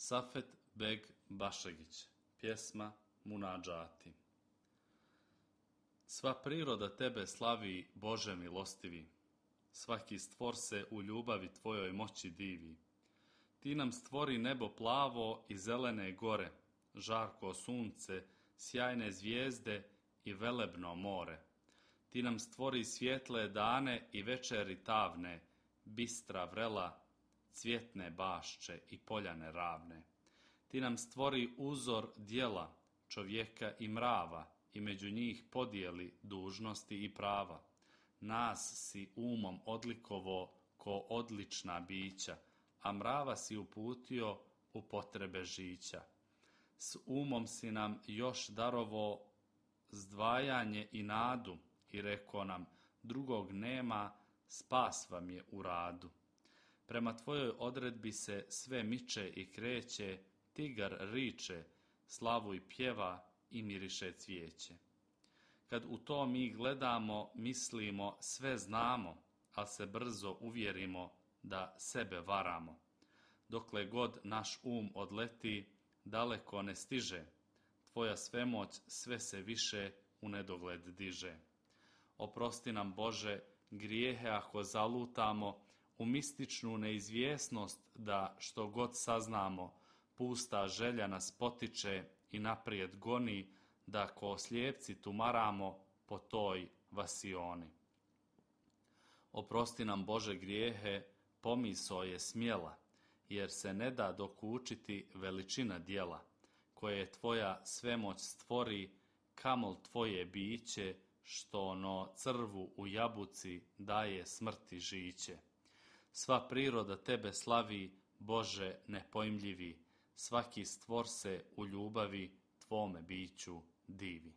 Safet Beg Bašegić, pjesma Munadžati. Sva priroda tebe slavi, Bože milostivi, svaki stvor se u ljubavi tvojoj moći divi. Ti nam stvori nebo plavo i zelene gore, žarko sunce, sjajne zvijezde i velebno more. Ti nam stvori svjetle dane i večeri tavne, bistra vrela, cvjetne bašče i poljane ravne. Ti nam stvori uzor djela, čovjeka i mrava, i među njih podijeli dužnosti i prava. Nas si umom odlikovo ko odlična bića, a mrava si uputio u potrebe žića. S umom si nam još darovo zdvajanje i nadu i reko nam, drugog nema, spas vam je u radu. Prema tvojoj odredbi se sve miče i kreće, tigar riče, slavu i pjeva i miriše cvijeće. Kad u to mi gledamo, mislimo, sve znamo, ali se brzo uvjerimo da sebe varamo. Dokle god naš odleti, daleko ne stiže, tvoja svemoć sve se više u nedogled diže. Oprosti nam, Bože, grijehe ako zalutamo, u mističnu neizvjesnost da što god saznamo, pusta želja nas potiče i naprijed goni, da ko slijepci tumaramo po toj vasioni. Oprosti nam, Bože, grijehe, pomisao je smjela, jer se ne da dokučiti veličina djela, koje tvoja svemoć stvori, kamol tvoje biće, što ono crvu u jabuci daje smrti žiće. Sva priroda tebe slavi, Bože nepojmljivi, svaki stvor se u ljubavi tvome biću divi.